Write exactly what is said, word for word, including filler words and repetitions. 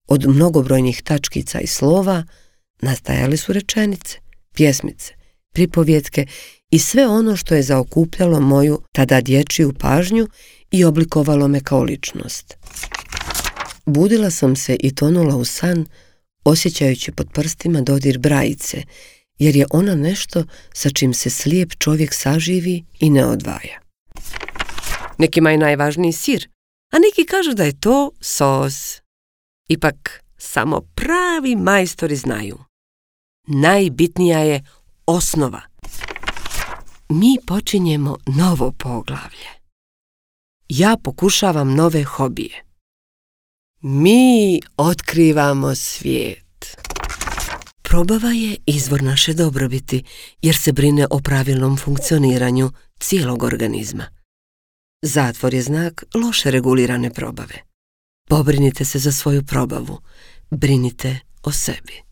Od mnogobrojnih tačkica i slova nastajale su rečenice, pjesmice, pripovjetke i sve ono što je zaokupljalo moju tada dječju pažnju i oblikovalo me kao ličnost. Budila sam se i tonula u san, osjećajući pod prstima dodir brajice, jer je ona nešto sa čim se slijep čovjek saživi i ne odvaja. Nekima je najvažniji sir, a neki kažu da je to sos. Ipak, samo pravi majstori znaju. Najbitnija je osnova. Mi počinjemo novo poglavlje. Ja pokušavam nove hobije. Mi otkrivamo svijet. Probava je izvor naše dobrobiti, jer se brine o pravilnom funkcioniranju cijelog organizma. Zatvor je znak loše regulirane probave. Pobrinite se za svoju probavu. Brinite o sebi.